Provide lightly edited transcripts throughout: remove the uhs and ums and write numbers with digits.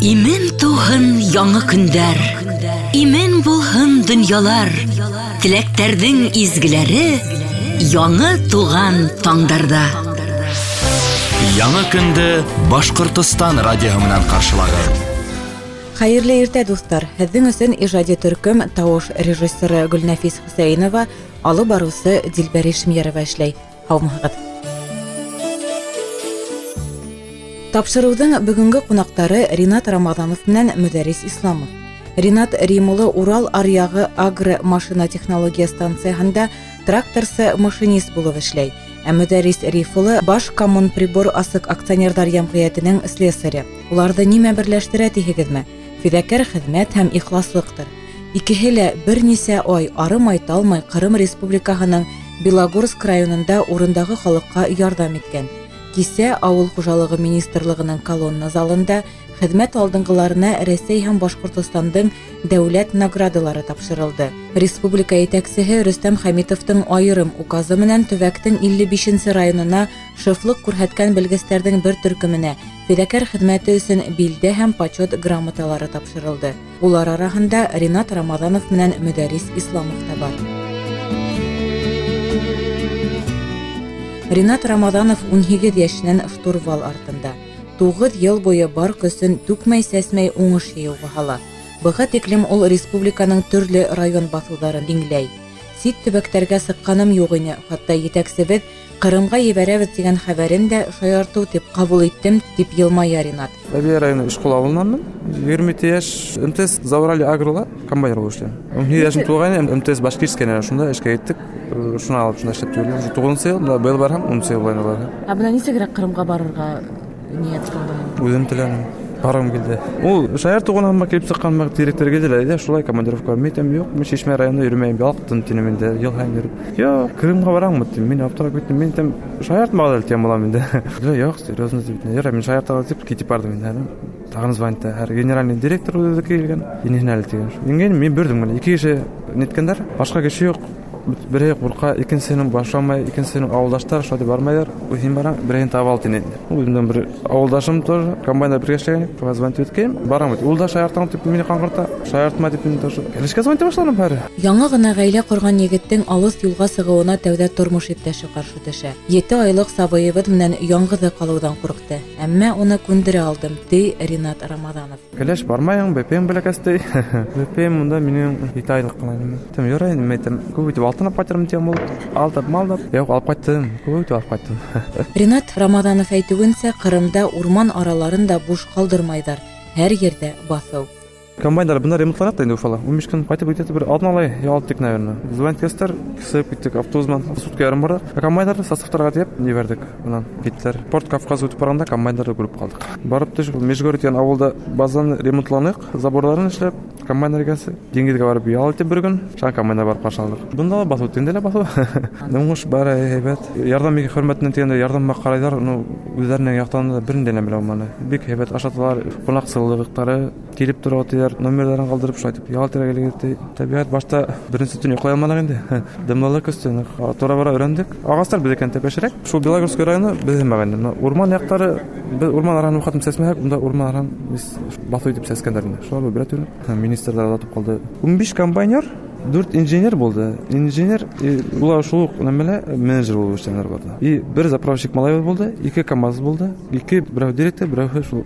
Имен тыуһын яңы көндәр, имен булһын донъялар, теләктәрҙең изгеләре яңы туған таңдарҙа. Яңы көндө Башҡортостан радиоһы менән ҡаршылағыҙ. Хәйерле иртә, дуҫтар! Һеҙҙең өсөн ижади төркөм тауыш режиссеры Гөлнәфис Хөсәйенова, алып барыусы Дилбәр Ишмиярова эшләй. Һаумыһығыҙ! Тапшырыуҙың бөгөнгө ҡунаҡтары Ринат Рамаҙанов менән Мөдәррис Исламов. Ринат Рим улы Урал аръяғы агро-машина технология станцияһында тракторсы-машинист булып эшләй. Ә Мөдәррис Риф улы Башкоммунприбор асыҡ акционерҙар йәмғиәтенең слесаре. Уларҙы нимә берләштерә тиһегеҙме? Фиҙакәр хеҙмәт һәм ихласлыҡтыр. Икеһе лә бер нисә ай арымай-талмай Ҡырым Республикаһының Белогорск районында урындағы халыҡҡа ярҙам иткән. Кисә Ауыл хужалығы министрлығының колонна залында хеҙмәт алдынғыларына Рәсәй һәм Башҡортостандың дәүләт наградалары тапшырылды. Республика етәксеһе Рөстәм Хәмитовтың айырым указы менән төбәктең 55-нсе районына шефлыҡ күрһәткән белгестәрҙең бер төркөмөнә фиҙакәр хеҙмәте өсөн билдә һәм почет грамоталары тапшырылды. Улар араһында Ринат Рамаҙанов менән Мөдәррис Исламов та бар. Ринат Рамаҙанов 18 йәшенән штурвал артында. 9 йыл буйы бар көсөн түкмәй-сәсмәй уңыш йыйыуға һала. Быға тиклем ул республиканың төрлө район баҫыуҙарын иңләй. Сит төбәктәргә сыҡҡаным юҡ ине, хатта етәксебеҙ Ҡырымға ебәрәбеҙ тигән хәбәрен дә шаяртыу тип ҡабул иттем, тип йылмая Ринат. Бәләбәй районы Ишҡол ауылынанмын. 27 йәш, МТС Зауралье агрола комбайнер булып эшләйем. 17 йәшем тулғайны, МТС Башкирская шунда эшкә киттек. Шуны алып шунда эшләп йөрөйөм. Уже 9 йыл, бында быйыл барһам, 10 йыл буйына барһам. Ә бына нисегерәк Ҡырымға барырға ниәт ҡылдың? Үҙем теләнем. Барғым килде. Ул шаяртыу ғына килеп сыҡҡан директор килде лә, әйҙә, шулай командировка. Мин әйтәм, юҡ, мин Шишмә районында йөрөмәйем, ялҡтым тинем инде, йыл һайын йөрөп. Юҡ, Ҡырымға бараммы тим, мин аптырап киттем. Мин әйтәм, шаяртмағыҙ әле тигән булам инде. Юҡ, серьезно тип, ярай, мин шаяртаға тип китеп барҙым инде. Тағын звонит, һәр генеральный директор үҙе килгән, инһен әле тигән. Ингән, мин бөрҙөм генә, ике кеше ниткәндәр, башҡа кеше юҡ. Береһе ҡурҡа, икенсеһенең башламай, икенсеһенең ауылдаштар шулай тип бармайҙар. Үҙем барам, береһен таба ал тине. Үҙемдең бер ауылдашым тоже комбайнда бергә эшләгән, шуға звонить иткәйнем. Барам бит. Ул да шаяртам тип мине ҡаңғырта, шаяртма тип мине тоже. Эшкә звонить башланым бәре. Яңы ғына ғаилә ҡорған егеттең алыҫ юлға сығыуына тәүҙә тормош иптәше ҡаршы төшә. 7 айлыҡ сабыйыбыҙ менән яңғыҙы ҡалыуҙан ҡурҡты. Әммә уны күндерә алдым, ти Ринат Рамаҙанов. Кәләш бармайың, бәпәйем бәләкәс ти. Бәпәйем унда минең 7 айлыҡ ҡына инде. Тем ярай, нимә әйтәм, күп итеп алтын алып ҡайтырмын тигән булып, алдап, малдап, юҡ, алып ҡайттым, күп итеп алып ҡайттым. Ринат Рамаҙанов әйтеүенсә, Ҡырымда урман араларын да буш ҡалдырмайҙар. Һәр ерҙә баҫыу. Комбайндар бында ремонтлана да инде Уфала. 15 көн ҡайтып китә, бер алдын алай ял иттек, наверное. Звонить иттеләр, сығып киттек автобус менән, сутка ярым барҙыҡ. Ә комбайндарҙы составтарға тейәп ебәрҙек. Унан киттеләр. Порт Кавказ үтеп барғанда комбайндарҙы күреп ҡалдыҡ. Барып төшөп, Межгорье тигән ауылда базаны ремонтланыҡ, заборларын эшләп, комбайндар икәнсе. Диңгеҙгә барып ял итеп бер көн, шунан комбайндар барып ҡаршы алдыҡ. Бында ла баҫыу, тегендә лә баҫыу. Уңыш бары һәйбәт. Ярҙам бик хөрмәтенән тигәндә ярҙамға ҡарайҙар, ну, үҙҙәренең яҡтан да берен дә белә алманы. Бик һәйбәт ашаталар, ҡунаҡсыллыҡтары килеп тора тиҙәр, номерҙарын ҡалдырып шулай итеп ял итергә килегеҙ ти. Тәбиғәт башта беренсе төн йоҡлай алманыҡ инде. Дымлылыҡ көстө, тора-бара өйрәндек. Ағастар беҙҙекен тәпәшерәк. Шул Белогорск районы беҙҙең мәғәнә. Бына урман яҡтары, беҙ урман араһын уҡатып сәсмәһәк, унда урман араһын беҙ баҫыу итеп сәскәндәр инде. Шулар бер төрлө. Министрҙар оҙатып ҡалды. 15 комбайнер, 4 инженер булды. Инженер, улар шул уҡ нәмәлә менеджер булып эшләгәндәр барҙы. И бер заправщик малай булды, 2 КАМАЗ булды, 2 берәү директор, берәү шул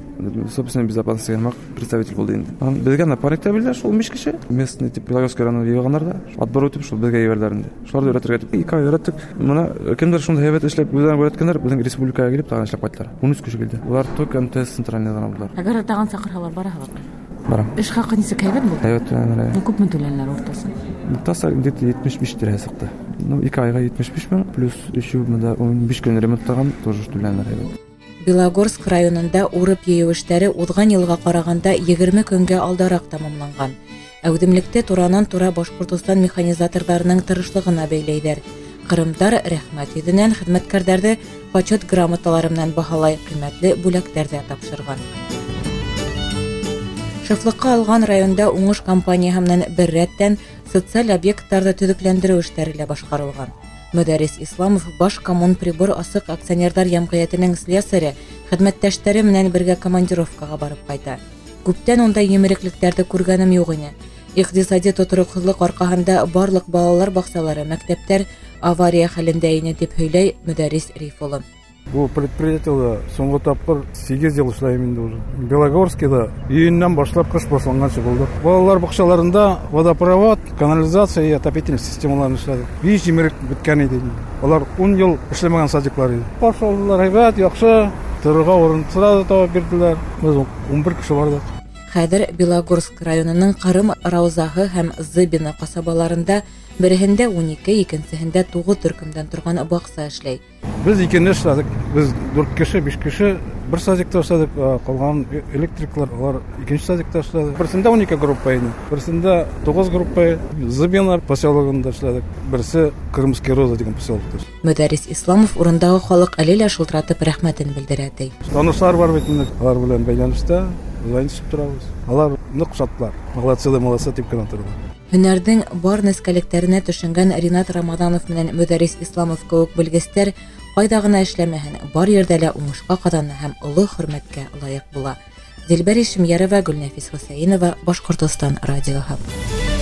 собственной безопасности һымаҡ представитель булды инде. Һәм беҙгә напарник та бирҙеләр шул 15 кеше. Местный тип Белогорск районына йыйғандар ҙа, отбор үтеп шул беҙгә ебәрҙеләр инде. Шуларҙы өйрәтергә тип 2 ай өйрәттек. Бына кемдер шундай һәйбәт эшләп, үҙҙәрен өйрәткәндәр, беҙҙең республикаға килеп тағын эшләп ҡайттылар. 13 кеше килде. Улар только МТС центральныйҙан алдылар. Әгәр тағын саҡырһалар, бараһығыҙмы? Барам. Эш хаҡы нисек, һәйбәт булды? Һәйбәт түләнеләр. Ну, күпме түләнеләр уртаса? Уртаса где-то 75 тирәһе сыҡты. Ну, 2 айға 75 мең, плюс еще бында 15 көн ремонтлаған, тоже түләнеләр һәйбәт. Белогорск районында урып йыйыу эштәре уҙған йылға ҡарағанда 20 көнгә алдараҡ тамамланған. Әүҙемлекте туранан-тура Башҡортостан механизаторҙарының тырышлығына бәйләйҙәр. Ҡырымдар рәхмәт йөҙөнән хеҙмәткәрҙәрҙе почет грамоталары менән баһалай, ҡиммәтле бүләктәр ҙә тапшырған. Шефлыҡҡа алған районда уңыш компанияһы менән бер рәттән социаль объекттарҙы төҙөкләндереү эштәре лә башҡарылған. Мөдәррис Исламов Башкоммунприбор асыҡ акционерҙар йәмғиәтенең слесаре хеҙмәттәштәре менән бергә командировкаға барып ҡайта. Күптән ундай емереклектәрҙе күргәнем юҡ ине. Иҡтисади тотороҡһоҙлоҡ арҡаһында барлыҡ балалар баҡсалары, мәктәптәр авария хәлендә ине, тип һөйләй Мөдәррис Риф улы. Бу предприятиела соңғы тапҡыр 8 йыл эшләйем инде уже. Белогорскийҙа июньдән башлап ҡыш башланғансы булдыҡ. Балалар баҡсаларында водопровод, канализация и отопительный системаларын эшләдек. 5 емерек бөткән ине. Улар 10 йыл эшләмәгән садиклар ине. Ҡаршы алдылар, һәйбәт, яҡшы. Торорға урын сразу табып бирҙеләр. Беҙ 11 кеше барҙыҡ. Хәҙер Белогорск районының Ҡырым Раузаһы һәм Зыбина ҡасабаларында береһендә 12, икенсеһендә 9 төркөмдән торған баҡса эшләй. Беҙ икене эшләдек. Беҙ 4 кеше, 5 кеше бер садикта эшләдек, ҡалған электриклар улар икенсе садикта эшләде. Берсендә 12 группа ине, берсендә 9 группа. Зыбина поселогында эшләдек. Берсе Крымский Роза тигән поселокта. Мөдәррис Исламов урындағы халыҡ әле лә шылтыратып рәхмәтен белдерә, ти. Танышлар бар бит инде, алар белән бәйләнештә, звонить торабыҙ. Алар ныҡ шатлар. Молодцы да молодцы тип кенә торалар. Һөнәрҙең бар нескәлектәренә төшөнгән Ринат Рамаҙанов менән Мөдәррис Исламов кеүек белгестәр ҡайҙа ғына эшләмәһен, бар ерҙә лә уңышҡа ҡаҙана һәм оло хөрмәткә лайыҡ була. Дилбәр Ишемйәрова, Гөлнәфис Хөсәйенова, Башҡортостан радиоһы.